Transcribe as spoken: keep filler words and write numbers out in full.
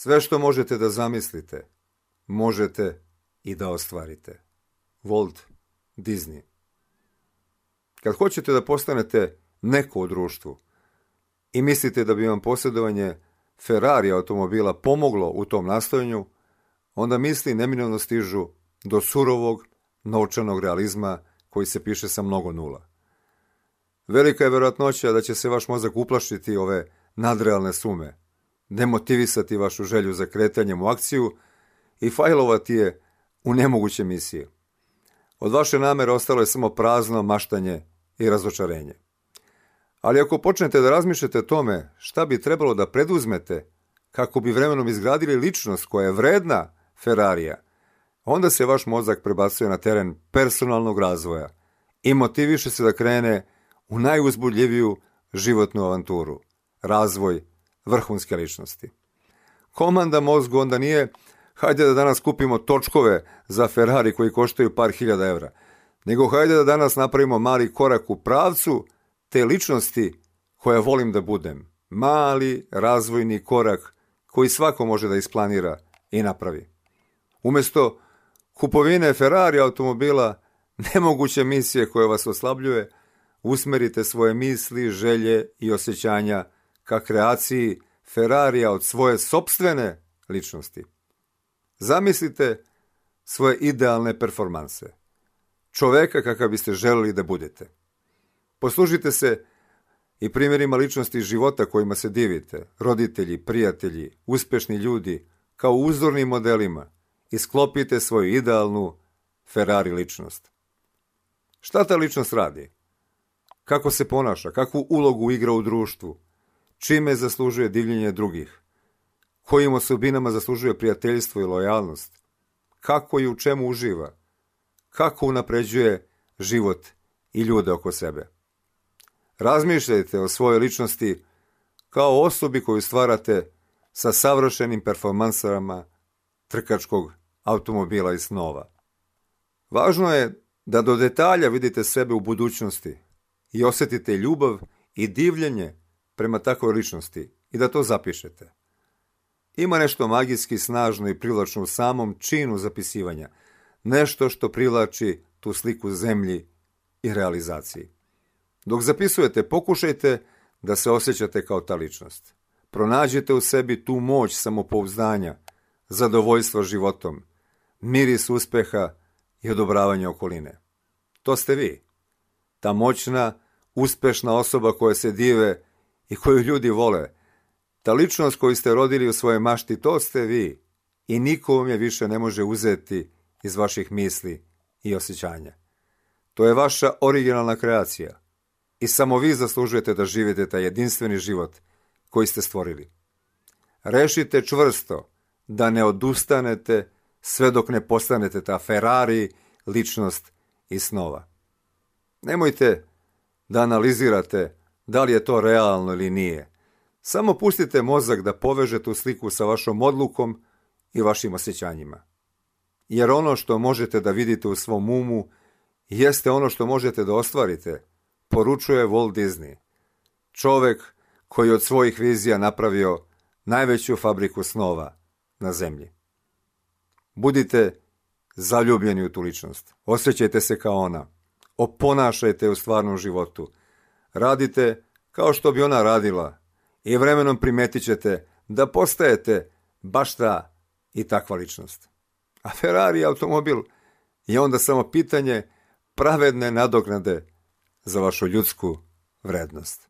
Sve što možete da zamislite, možete i da ostvarite. Walt Disney. Kad hoćete da postanete neko u društvu i mislite da bi vam posjedovanje Ferrari automobila pomoglo u tom nastojanju, onda misli neminovno stižu do surovog novčanog realizma koji se piše sa mnogo nula. Velika je vjerojatnoća da će se vaš mozak uplašiti ove nadrealne sume, demotivisati vašu želju za kretanjem u akciju i fajlovati je u nemoguće misije. Od vaše namere ostalo je samo prazno maštanje i razočarenje. Ali ako počnete da razmišljate o tome šta bi trebalo da preduzmete kako bi vremenom izgradili ličnost koja je vredna Ferrarija, onda se vaš mozak prebacuje na teren personalnog razvoja i motiviše se da krene u najuzbudljiviju životnu avanturu, razvoj vrhunske ličnosti. Komanda mozgu onda nije hajde da danas kupimo točkove za Ferrari koji koštaju par hiljada evra, nego hajde da danas napravimo mali korak u pravcu te ličnosti koja volim da budem. Mali razvojni korak koji svako može da isplanira i napravi. Umjesto kupovine Ferrari automobila, nemoguće misije koje vas oslabljuje, usmerite svoje misli, želje i osjećanja ka kreaciji Ferrarija od svoje sopstvene ličnosti. Zamislite svoje idealne performanse, čoveka kakav biste želeli da budete. Poslužite se i primjerima ličnosti života kojima se divite, roditelji, prijatelji, uspešni ljudi, kao uzornim modelima i sklopite svoju idealnu Ferrari ličnost. Šta ta ličnost radi? Kako se ponaša? Kakvu ulogu igra u društvu? Čime zaslužuje divljenje drugih? Kojim osobinama zaslužuje prijateljstvo i lojalnost? Kako i u čemu uživa? Kako unapređuje život i ljude oko sebe? Razmišljajte o svojoj ličnosti kao osobi koju stvarate sa savršenim performansama trkačkog automobila i snova. Važno je da do detalja vidite sebe u budućnosti i osjetite ljubav i divljenje prema takvoj ličnosti i da to zapišete. Ima nešto magijski snažno i privlačno u samom činu zapisivanja, nešto što privlači tu sliku zemlji i realizaciji. Dok zapisujete, pokušajte da se osjećate kao ta ličnost. Pronađite u sebi tu moć samopouzdanja, zadovoljstva životom, miris uspeha i odobravanja okoline. To ste vi. Ta moćna, uspešna osoba koja se dive i koju ljudi vole. Ta ličnost koju ste rodili u svojoj mašti, to ste vi. I niko vam je više ne može uzeti iz vaših misli i osjećanja. To je vaša originalna kreacija. I samo vi zaslužujete da živite taj jedinstveni život koji ste stvorili. Rešite čvrsto da ne odustanete sve dok ne postanete ta Ferrari ličnost iz snova. Nemojte da analizirate da li je to realno ili nije. Samo pustite mozak da poveže tu sliku sa vašom odlukom i vašim osjećanjima. Jer ono što možete da vidite u svom umu jeste ono što možete da ostvarite, poručuje Walt Disney, čovek koji od svojih vizija napravio najveću fabriku snova na zemlji. Budite zaljubljeni u tu ličnost, osjećajte se kao ona, oponašajte u stvarnom životu, radite kao što bi ona radila i vremenom primetit ćete da postajete baš ta i takva ličnost. A Ferrari automobil je onda samo pitanje pravedne nadoknade za vašu ljudsku vrednost.